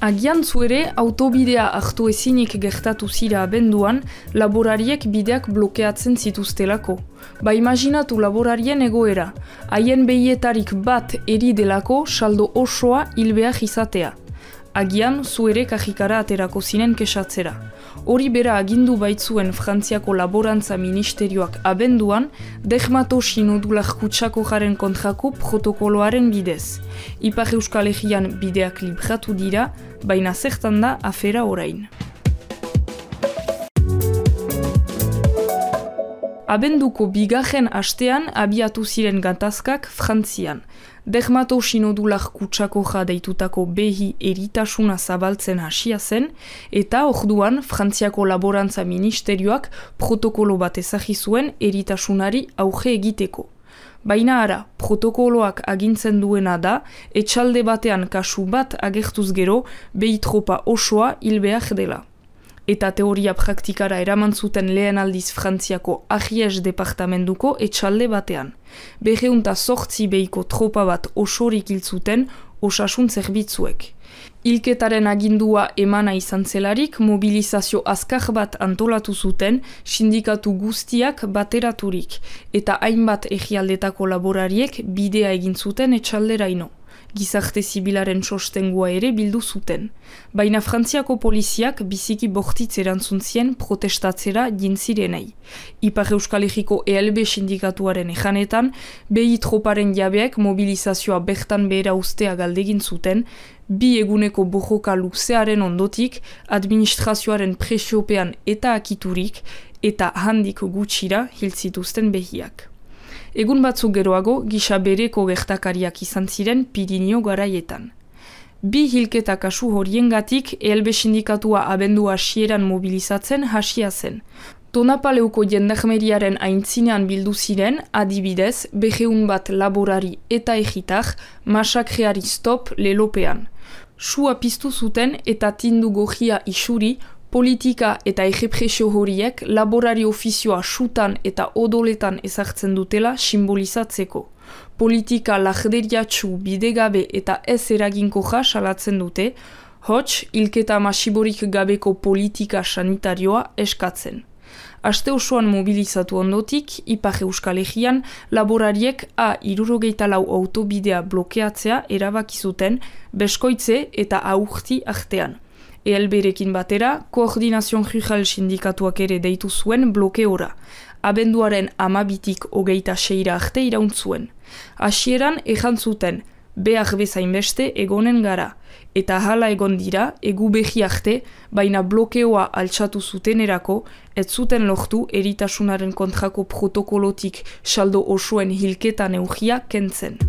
Agian zuere, autobidea hartu ezinik gertatu zira abenduan, laborariek bideak blokeatzen zituztelako. Ba imaginatu laborarien egoera, haien behietarik bat eri delako saldo osoa hil behar izatea. Agian zuere kajikara aterako zinen kesatzera. Hori bera agindu baitzuen Frantziako Laborantza Ministerioak abenduan, dermatosinodulak kutsako jaren kontrako protokoloaren bidez. Ipar Euskal Herrian bideak libratu dira, baina zertan da afera orain. Abenduko bigarren astean abiatu ziren gatazkak Frantzian. Dermatosinodulak kutsako deitutako behi eritasuna zabaltzen hasia zen, eta orduan Frantziako Laborantza Ministerioak protokolo bat ezagri zuen eritasunari auge egiteko. Baina ara, protokoloak agintzen duena da, etxalde batean kasu bat agertuz gero, behi tropa osoa hil behar dela. Eta teoria praktikara eraman zuten lehen aldiz Frantziako Ariège departamentuko etxalde batean. 208 behiko tropa bat osorik hil zuten osasun zerbitzuek. Hilketaren agindua emana izan zelarik, mobilizazio azkar bat antolatu zuten sindikatu guztiak bateraturik, eta hainbat herrialdetako laborariek bidea egin zuten etxalderaino. Gizarte zibilaren sostengua ere bildu zuten. Baina Frantziako poliziak biziki bortitz erantzun zien protestatzera jintzirenei. Ipar Euskal Herriko ELB sindikatuaren ejanetan, behi troparen jabeak mobilizazioa bertan behera ustea galdegin zuten, 2 eguneko borroka luzearen ondotik, administrazioaren presiopean eta akiturik, eta handik gutxira hil zituzten behiak. Egun batzuk geroago, gisa bereko gertakariak izan ziren Pirinio garaietan. 2 hilketa kasu horiengatik ELB sindikatua abendu hasieran mobilizatzen hasia zen. Tonapaleuko jendarmeriaren aintzinean bildu ziren, adibidez, 200 bat laborari eta egitar, masakreari stop lelopean. Sua piztu zuten eta tindu gojia isuri, politika eta errepresio horiek laborari ofizioa sutan eta odoletan ezartzen dutela simbolizatzeko. Politika lahderiatsu, bidegabe eta ez eraginkoja salatzen dute, hots hilketa masiborik gabeko politika sanitarioa eskatzen. Aste osoan mobilizatu ondotik, Ipar Euskal Herrian laborariek A64 autobidea blokeatzea erabaki zuten beskoitze eta aurti artean. ELB-rekin batera, Koordinazion Rural sindikatuak ere deitu zuen blokeora. Abenduaren 12tik 26 arte irauntzuen. Hasieran ejan zuten, behar bezain beste egonen gara. Eta hala egon dira, egu behi arte, baina blokeoa altxatu zutenerako, ez zuten lortu eritasunaren kontrako protokolotik saldo osoen hilketa neugia kentzen.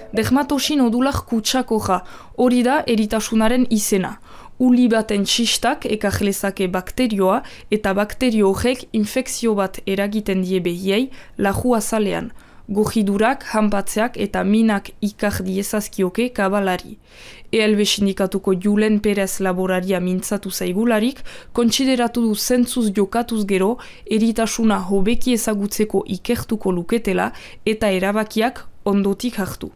Dermatosinodulak kutsakoja, hori da eritasunaren izena. Uli baten txistak ekarlezake bakterioa eta bakterio horrek infekzio bat eragiten die behiei laju azalean. Gojidurak, hanpatzeak eta minak ikar diezazkioke kabalari. ELB sindikatuko Julen Perez laboraria mintzatu zaigularik, kontsideratu du zentzuz jokatuz gero, eritasuna hobeki ezagutzeko ikertuko luketela eta erabakiak ondotik hartu.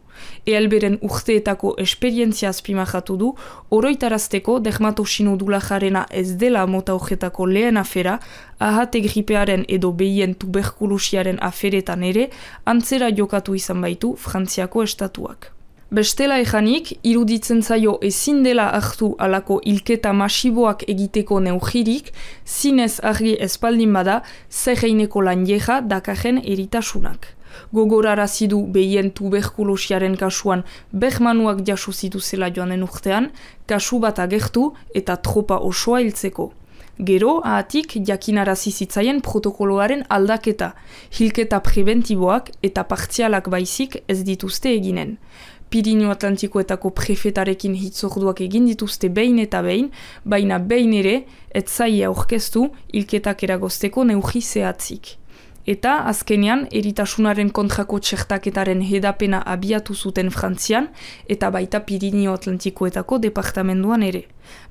ELB-ren urteetako esperientzia azpimajatu du, oroitarazteko dermatosinodulajarena ez dela mota horretako lehen afera, ahate gripearen edo behien tuberkulosiaren aferetan ere, antzera jokatu izan baitu Frantziako estatuak. Bestela ejanik, iruditzen zaio ezin dela hartu alako hilketa masiboak egiteko neugirik, zinez argi espaldin bada, zerreineko lanjeja dakarren eritasunak. Gogorarazi du behien tuberkulosiaren kasuan bermanuak jaso zituzela joanen urtean, kasu bat agertu eta tropa osoa hiltzeko. Gero, ahatik jakinarazi zitzaien protokoloaren aldaketa, hilketa preventiboak eta partzialak baizik ez dituzte eginen. Pirinio Atlantikoetako prefetarekin hitzorduak egin dituzte behin eta behin, baina behin ere, ez zaia aurkeztu hilketak eragozteko neugi zehatzik. Eta, azkenean, eritasunaren kontrako txertaketaren hedapena abiatu zuten Frantzian, eta baita Pirinio Atlantikoetako departamentuan ere.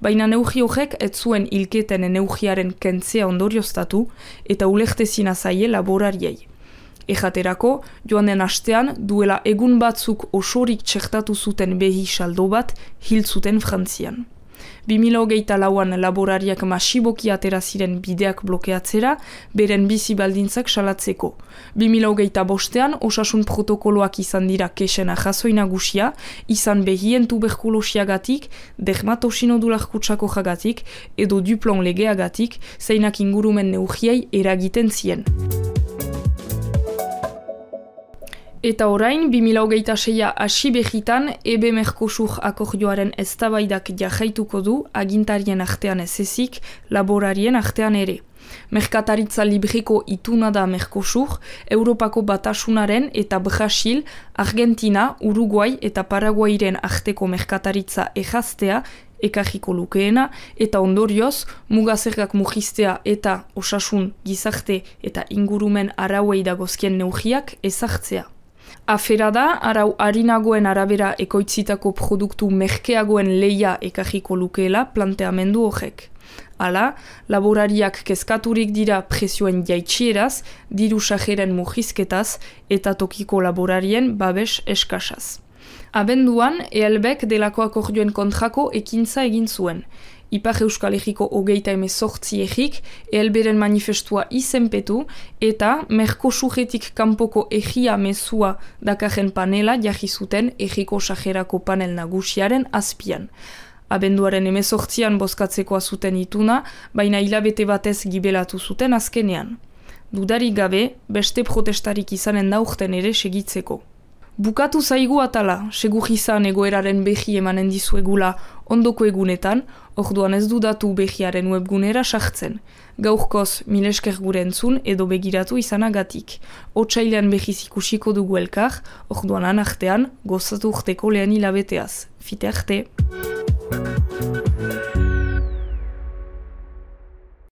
Baina neugi horrek ez zuen hilketen neugiaren kentzea ondorioztatu, eta ulertezina zaie laborariei. Ejaterako, joan den astean, duela egun batzuk osorik txertatu zuten behi saldo bat, hil zuten Frantzian. 2024an laborariak masiboki atera ziren bideak blokeatzera, beren bizi baldintzak salatzeko. 2025an osasun protokoloak izan dira kexena jazoi nagusia, izan behien tuberkulosiagatik, dermatosinodular kutsako jagatik, edo duplon legeagatik, zeinak ingurumen neugiei eragiten zien. Eta orain, 2026a hasi behitan, EB Mercosur akordioaren eztabaidak jarraituko du agintarien artean ez ezik, laborarien artean ere. Merkataritza libreko ituna da Mercosur, Europako Batasunaren eta Brasil, Argentina, Uruguay eta Paraguairen arteko merkataritza erraztea, ekarriko lukeena, eta ondorioz, mugazergak mugiztea eta osasun, gizarte eta ingurumen arauei dagozkien neugiak ezartzea. Afera da, arau harinagoen arabera ekoitzitako produktu merkeagoen leia ekarriko lukeela planteamendu horrek. Hala, laborariak kezkaturik dira presioen jaitsieraz, diru sajeren mugizketaz eta tokiko laborarien babes eskasaz. Abenduan, ELBek delako akordioen kontrako ekintza egin zuen. Ipar Euskal Herriko 38 egik, ELBren manifestua izenpetu eta Mercosuretik kanpoko egia mezua dakarren panela jarri zuten egiko sajerako panel nagusiaren azpian. Abenduaren 18an bozkatzekoa zuten ituna, baina hilabete batez gibelatu zuten azkenean. Dudarik gabe, beste protestarik izanen daurten ere segitzeko. Bukatu zaigu atala, segur izan egoeraren behi emanen dizuegula ondoko egunetan, orduan ez dudatu behiaren webgunera sartzen. Gaurkoz, milesker gure entzun edo begiratu izanagatik. Otsailean behiz ikusiko dugu elkar, orduan anartean, gozatu urteko lehen hilabeteaz. Fite arte!